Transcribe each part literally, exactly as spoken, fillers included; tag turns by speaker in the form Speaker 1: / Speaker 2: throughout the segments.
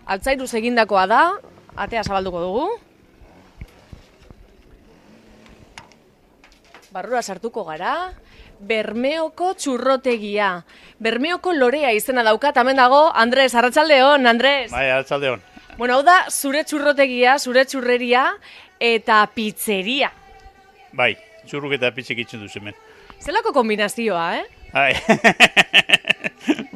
Speaker 1: Altzairuz egindakoa da, atea zabalduko dugu. Barrura sartuko gara. Bermeoko txurrotegia. Bermeoko lorea izena daukat, hemen dago, Andres, arratsaldeon, Andres.
Speaker 2: Bai, arratsaldeon.
Speaker 1: Bueno, hau da, zure txurrotegia, zure txurreria eta pizzeria.
Speaker 2: Bai, txurruk eta pizzek itzen duz hemen.
Speaker 1: Zelako kombinazioa, eh?
Speaker 2: Bai.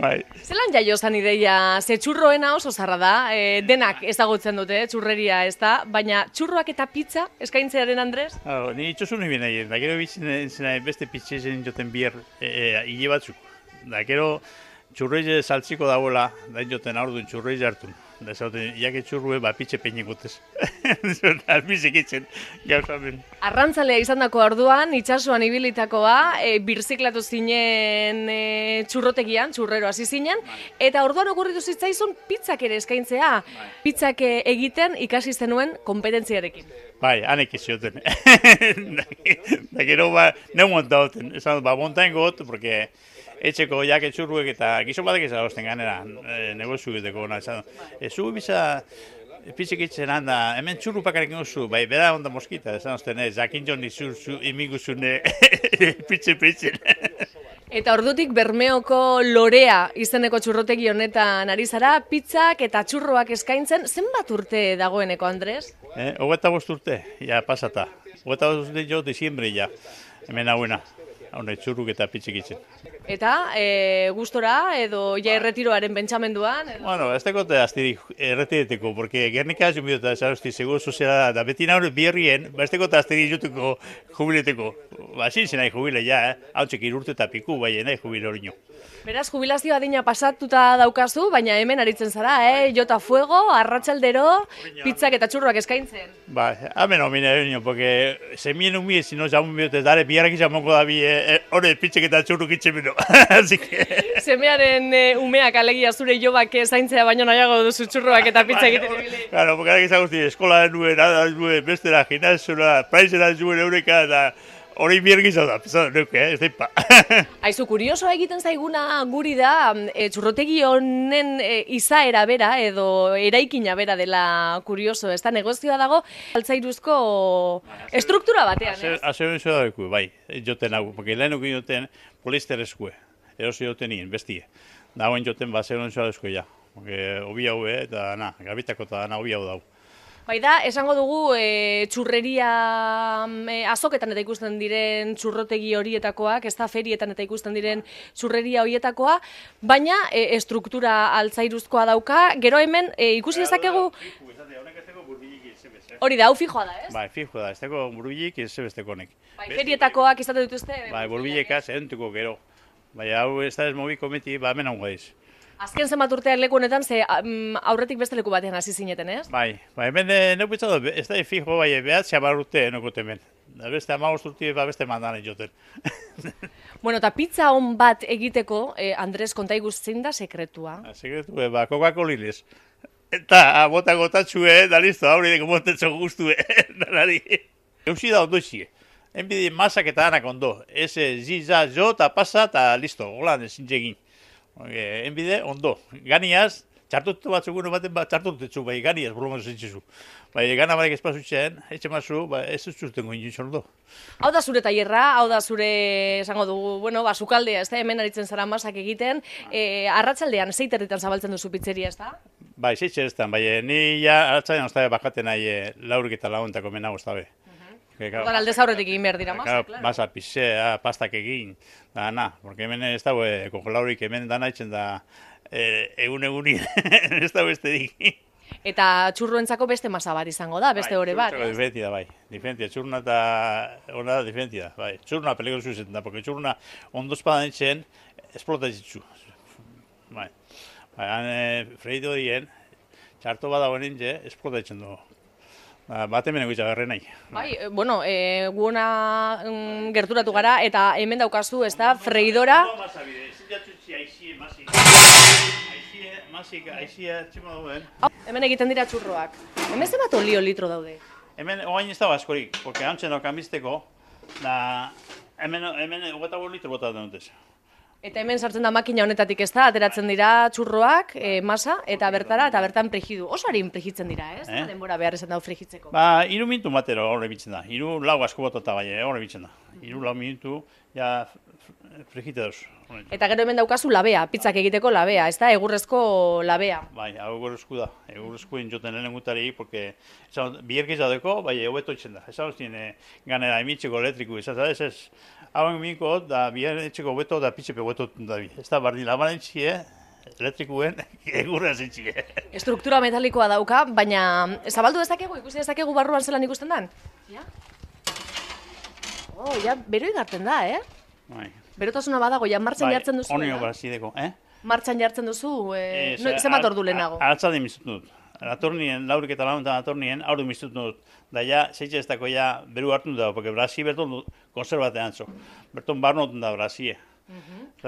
Speaker 2: Bai.
Speaker 1: Zelan jaio zan ideia, ze txurroena oso zarra da, e, denak ezagutzen dute, txurreria ez da, baina txurroak eta pizza eskaintzearen, Andres?
Speaker 2: Hau, ni itxosun nire nahi, da gero bitzen zena beste pizzezen joten bier e, hile batzuk. Da gero txurreize saltziko dagoela, da joten aurdun txurreize hartun. Da zauten, iake txurrue, ba, pitxe peinen gotez. Albizek itzen, gauza ben.
Speaker 1: Arrantzalea izan dako orduan, itxasuan ibilitakoa, e, birziklatu zinen e, txurrotegian, txurrero hasi zinen, eta orduan okurritu zitzaizun pizzak ere eskaintzea. Pizzak egiten ikasi zenuen kompetentziarekin.
Speaker 2: Bai, hanek izioten. Da gero, ba, neu monta hoten. Esan, ba, montain got, porque etxeko jake txurruek eta gizon batek ez agozten ganera e, negozio egiteko. E, zu biza pizzek itzen handa, hemen txurru pakarek gozu, bai, bera onda moskita, esan ozten ez, jakin joni zur, zu, imiguzune pitze pitzen.
Speaker 1: Eta ordutik Bermeoko lorea izeneko txurrotegi honetan ari zara, pizzak eta txurroak eskaintzen, zenbat urte dagoeneko, Andres?
Speaker 2: Eh, Hogeta bost urte, ja, pasata. Hogeta bost urte jo, diciembre, ja, hemen hauena. Haune, txurruk eta pitzek itzen.
Speaker 1: Eta, e, gustora edo ja erretiroaren pentsamenduan? Edo...
Speaker 2: Bueno, ez dagote aztirik erretireteko, porque Gernika hasi bidota, zarosti, seguro soziala da, beti nahure biherrien, ba ez dagote aztirik jutuko jubileteko. Ba, zin nahi jubile, ja, eh? Hau txek irurte eta piku, bai, nahi jubile hori nio.
Speaker 1: Beraz, jubilazio adina pasatuta daukazu, baina hemen aritzen zara, eh? Jota fuego, arratsaldero, pizzak eta txurroak eskaintzen.
Speaker 2: Ba, hemen homine hori nio, porque semien umie, si no, jamun biote, dare, biharrak izamoko da bi, hori, pizzak eta txurruk itzen bino.
Speaker 1: Semearen e, umeak alegia zure jobak zaintzea baino nahiago duzu txurroak eta pizza egiten ibili.
Speaker 2: Claro, porque ahora que zagusti, eskola nuen, ada nuen, bestera, gimnasiora, praizera zuen eureka, eta hori biergiza da, pizan nuke, eh, ez daipa.
Speaker 1: Aizu, kuriosoa egiten zaiguna guri da, e, txurrotegi honen e, izaera bera edo eraikina bera dela kurioso, ez da negozioa dago, altzairuzko estruktura batean, ez?
Speaker 2: Azeo nizo da beku, bai, joten hau, porque lehenuk joten polister eskue, erosi joten nien, bestie. Dagoen joten, ba, zeo nizo da eskue, ja. Obi hau, eta, na, gabitako eta na, obi hau dau.
Speaker 1: Bai da, esango dugu e, txurreria e, azoketan eta ikusten diren txurrotegi horietakoak, ez da ferietan eta ikusten diren txurreria horietakoa, baina e, estruktura altzairuzkoa dauka, gero hemen e, ikusi dezakegu... Hori da, hau fijoa da, ez?
Speaker 2: Bai, fijoa da, ez dago burbilik ez zebesteko honek.
Speaker 1: Bai, ferietakoak izate dituzte?
Speaker 2: Bai, burbilekaz, erentuko gero. Bai, hau ez da ez mobi kometi, ba, hemen hau gaiz.
Speaker 1: Azken zenbat urtean leku honetan, ze aurretik beste leku batean hasi zineten, ez?
Speaker 2: Bai, bai, hemen neukitza da, ez da fijo, bai, behatzea bar urte enokote hemen. Da beste amagost urte, ba, beste mandanen joten.
Speaker 1: Bueno, eta pizza on bat egiteko, eh, Andres, konta iguztzein da sekretua?
Speaker 2: Sekretua, ba, Coca-Colines. Eta, bota gotatxue, da listo, hauri deko montetzo guztue, danari. Eusi da ondo izie. Enbide masak eta danak ondo. Eze, ziza, jo, eta pasa, eta listo, holan ezin egin. Enbide, ondo. Ganiaz, txartutu batzugun baten bat txartutetzu, bai, ganiaz, bromaz zintzizu. Bai, gana barek espazutxean, etxe mazu, ba, ez zuztengo inuntzen ondo.
Speaker 1: Hau da zure tailerra, hau da zure, esango dugu, bueno, ba, sukaldea, ez da, hemen aritzen zara masak egiten. E, arratsaldean, zeiterritan zabaltzen duzu pizzeria, ez da?
Speaker 2: Bai, zeiterretan, bai, ni ja, arratsaldean oztabe bakaten nahi laurik eta laguntako mena oztabe.
Speaker 1: Odan aldez aurretik egin behar dira, masak,
Speaker 2: klaro. Masa, pizea, pastak egin, da, na, porque hemen ez dago, kongelaurik hemen dana itzen da, egun-egunin, ez dago beste dik.
Speaker 1: Eta txurruentzako beste masa bat izango da, beste hori bat.
Speaker 2: Bai, diferentia da, bai, diferentia, txurruna eta hona da diferentia, bai, txurruna peligrosu izaten da, porque txurruna ondozpadan itzen, esplota izitzu, bai, bai, han freido horien, txarto badagoen intze, esplota itzen du. Bat hemen egitza berre nahi.
Speaker 1: Bai, bueno, e, guona mm, gerturatu gara, eta hemen daukazu, ez da, freidora. Hemen egiten dira txurroak. Hemen zenbat olio litro daude?
Speaker 2: Hemen oain ez dago askorik, porque hantzen okan bizteko, da hemen hogeta litro bota denutez.
Speaker 1: Eta hemen sartzen da makina honetatik ez da, ateratzen dira txurroak, e, masa, eta bertara, eta bertan frigidu. Oso harin frigitzen dira, ez? Eh? Denbora behar esan dau frigitzeko.
Speaker 2: Ba, iru minutu matero horre bitzen da. Iru lau asko botata bai, horre bitzen da. Iru lau minutu, ja frigite dauz.
Speaker 1: Eta gero hemen daukazu labea, pizzak egiteko labea, ez da, egurrezko labea.
Speaker 2: Bai, hau egurrezko da. Egurrezkoen joten lehen gutari, porque bierkiz dadeko, bai, hobeto itzen da. Ez hau zin, ganera emitzeko elektriku izan, ez ez. Hau minko, da bier etxeko hobeto, da pitzepe hobeto da bi. Ez da, bardin laban entzie, elektrikuen egurra zintzie.
Speaker 1: Estruktura metalikoa dauka, baina zabaldu dezakegu, ikusi dezakegu barruan zelan ikusten dan? Ja? Oh, ja, bero igarten da, eh?
Speaker 2: Bai.
Speaker 1: Berotasuna badago, ja, martxan jartzen duzu.
Speaker 2: Bai, onio brazideko, eh?
Speaker 1: Martxan jartzen duzu, eh, no, zemat ordu lehenago?
Speaker 2: Aratzade miztutu dut. Atornien, laurik eta launtan atornien, aurdu miztutu dut. Da ja, zeitxe ez dako ja, beru hartu da, porque brazi berton konserbatean zo. Berton barnotun da brazie.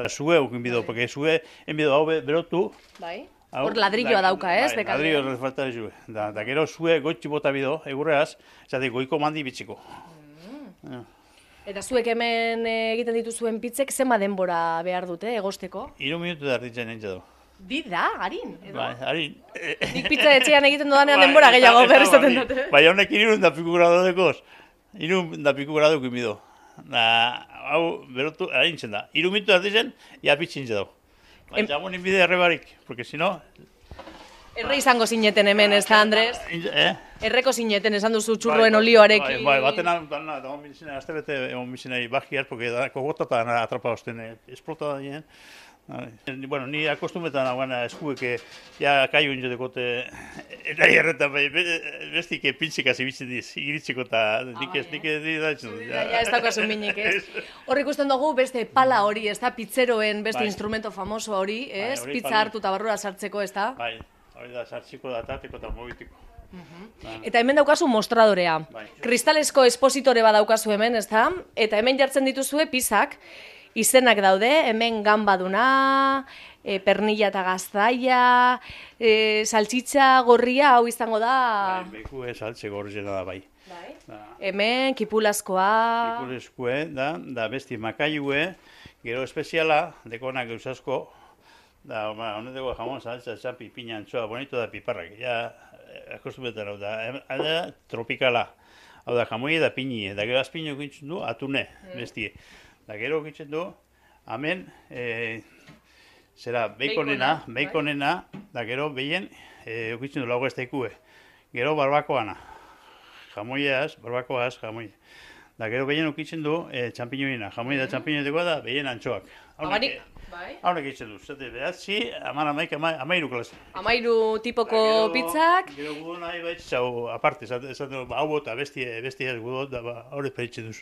Speaker 2: Zue eukin bido, porque zue, enbido hau berotu.
Speaker 1: Bai. Hor ladrilloa dauka, ez?
Speaker 2: Bai, ladrillo falta zue. Da, da gero zue goitxi bota bido, egurreaz, zate goiko mandi bitziko.
Speaker 1: Eta zuek hemen egiten dituzuen pitzek zema denbora behar dute, egosteko?
Speaker 2: Iru minutu da arditzen nintzen du.
Speaker 1: Di da, harin, edo?
Speaker 2: Bai, harin.
Speaker 1: Nik pizza etxean egiten dudanean denbora gehiago berreztaten dute.
Speaker 2: Bai, honek irun da piku grado dekoz. Irun da piku grado kimido. Da, hau, berotu, harintzen da. Iru minutu arditzen, ja pitzintze dago. Bai, jago nin bide errebarik, porque si no...
Speaker 1: Erre izango zineten hemen, ez da, Andres?
Speaker 2: Eh?
Speaker 1: Erreko zineten esan duzu txurroen olioarekin.
Speaker 2: Bai, bai, batena, batena, da hon bizina, azte bete hon bizina bakiar, porque da, kogotata atrapa hozten, esplota da nien. Bueno, ni akostumetan nagoena eskueke, ja kaio inzo dekote, nahi erretan, bestik pintxikaz ibitzen diz, iritziko eta nik ez, nik ez dira etxen dut.
Speaker 1: Ja, ez dakoazun minik, ez? Hor ikusten dugu beste pala hori, ez da, pizzeroen beste instrumento famoso hori, ez? Pizza hartu eta barrura sartzeko, ez da?
Speaker 2: Bai, hori da, sartziko da, tateko eta mobitiko.
Speaker 1: Eta hemen daukazu mostradorea. Kristalesko espositore bat daukazu hemen, ez da? Eta hemen jartzen dituzue pizzak, izenak daude, hemen gambaduna, e, pernilla eta gaztaia, e, saltxitza gorria, hau izango da...
Speaker 2: Bai, bekue saltxe gorriena da bai.
Speaker 1: Bai. Hemen kipulazkoa...
Speaker 2: Kipulazkoe, da, da besti makaiue, gero espeziala, dekonak eusasko, da, honeteko jamon saltza, txapi, pina, antxoa, bonito da piparrak, ja, akostumetan hau da, da, tropikala, hau da, jamoi da pinie, da gero azpino gintzen du, atune, bestie. Da gero gintzen du, hemen, e, zera, beikonena, beikonena, da gero behien, e, gintzen du lagu ez daikue. Gero barbakoana, jamoiaz, barbakoaz, jamoi. Da gero behien ukitzen du, e, txampiñoina, jamoi da txampiñoeteko da, behien antxoak. Haunek egiten du, zate behatzi, aman amaik, amairu klase.
Speaker 1: Amairu tipoko pizzak.
Speaker 2: Gero gudo nahi baitxau aparte, esaten du, hau bota, bestia ez gudo, da haurez peritzen duz.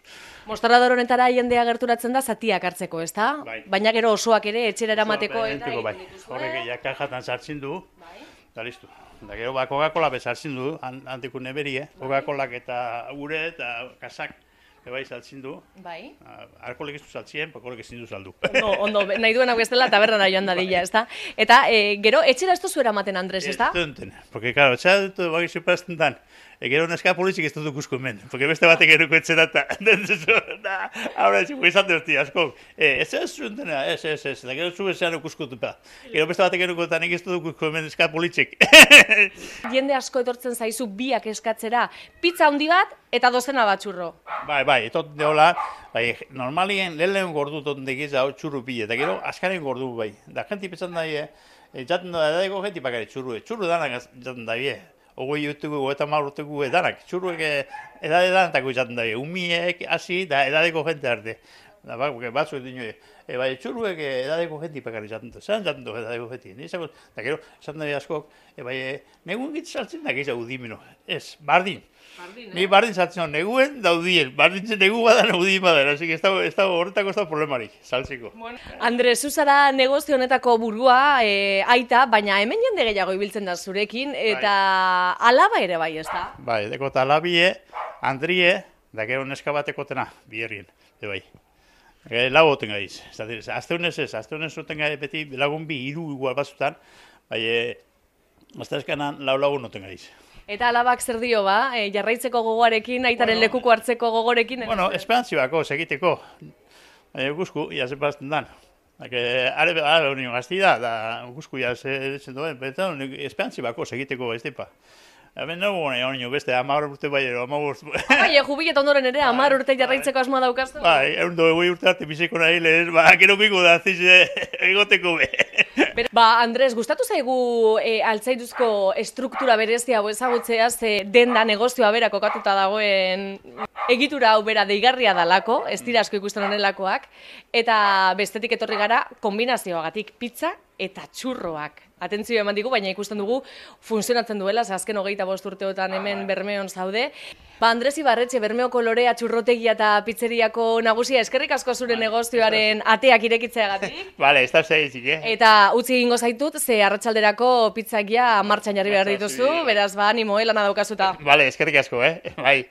Speaker 1: Mostrador honetara jendea gerturatzen da zatiak hartzeko, ez da? Baina gero osoak ere etxera eramateko eta egiten dituzue.
Speaker 2: Horrek jakajatan sartzen du, eta listu. Da gero ba Coca-Cola bezartzen du, antiku neberie, Coca-Colak eta gure eta kasak. Ebai saltzen du.
Speaker 1: Bai.
Speaker 2: Alkoholek ez du saltzien, pakolek ezin du saldu.
Speaker 1: Ondo, ondo, nahi duen hau ez dela tabernara joan dadila, ez da? Eta gero, etxera ez duzu eramaten, Andres, ez da?
Speaker 2: Ez duten, porque, claro, etxera dut bagizu prazten dan. Gero neska politxik ez dut ikusko hemen, porque beste batek eruko etxera eta... Haura, etxiko izan dut, asko. Ez ez zuten, ez, ez, ez, da gero zu ezean ikusko dupa. Gero beste batek eruko eta nik ez dut ikusko hemen neska politxik.
Speaker 1: Jende asko etortzen zaizu biak eskatzera, pizza handi bat eta dozena bat txurro.
Speaker 2: Bai, bai, etot deola, bai, normalien lehen lehen gordu totendekiz hau txurru pile, eta gero askaren gordu bai. Da, jenti petzan daie, jaten da edaiko jenti bakare txurru, txurru danak jaten daie. Ogoi utugu, eta marrutugu edanak, txurruek edade danetako jaten daie, umiek, hasi, da edadeko jente arte. Da, batzu edo nioe, e, bai, txurruek edadeko jenti bakare jaten du, zelan jaten du edadeko jenti. Da, gero, esan dabe askok, e, bai, negun gitz saltzen da gehiago udimeno, ez, bardin. Ni bardin saltzen neguen daudien, bardin zen negu badan udin badan, así que ez da horretako ez da problemarik, saltzeko.
Speaker 1: Andres, zuzara negozio honetako burua, e, aita, baina hemen jende gehiago ibiltzen da zurekin, eta alaba ere bai, ez da?
Speaker 2: Bai, deko eta alabie, Andrie, da gero neska batekotena, bierrien, de bai. Lau goten gaiz, azte honez ez, azte honez zuten gai beti lagun bi hiru igual batzutan, bai, azte eskanan lau lagun noten gaiz.
Speaker 1: Eta alabak zer dio ba, e, jarraitzeko gogoarekin, aitaren bueno, lekuko hartzeko gogorekin?
Speaker 2: Bueno, esperantzi bako, segiteko. E, guzku, ia zepazten dan. Are, are hori gazti da, da guzkuia zen duen, eta esperantzi bako segiteko ez depa. Hemen nago gona hori beste, amar urte bai ero, amar urte.
Speaker 1: Bai, jubilet ondoren ere, amar urte jarraitzeko asmoa daukaztu?
Speaker 2: Bai, egun doi goi urte arte biziko nahi lehen, ba, gero biko da, zize, egoteko be.
Speaker 1: Ba, Andres, gustatu zaigu e, altzairuzko estruktura berezia hau ezagutzea, ze denda negozioa bera kokatuta dagoen egitura hau bera deigarria dalako, ez dira asko ikusten honelakoak, eta bestetik etorri gara kombinazioagatik pizza eta txurroak. Atentzio eman digu, baina ikusten dugu funtzionatzen duela, ze azken hogeita bost urteotan hemen Bermeon zaude. Ba, Andres Ibarretxe, Bermeoko Lorea txurrotegia eta pizzeriako nagusia, eskerrik asko zure negozioaren ateak irekitzeagatik.
Speaker 2: Bale, ez da zeizik, eh?
Speaker 1: Eta utzi egingo zaitut, ze arratsalderako pizzakia martxan jarri behar dituzu, beraz ba, animo, lana daukazuta.
Speaker 2: Bale, eskerrik asko, eh? Bai.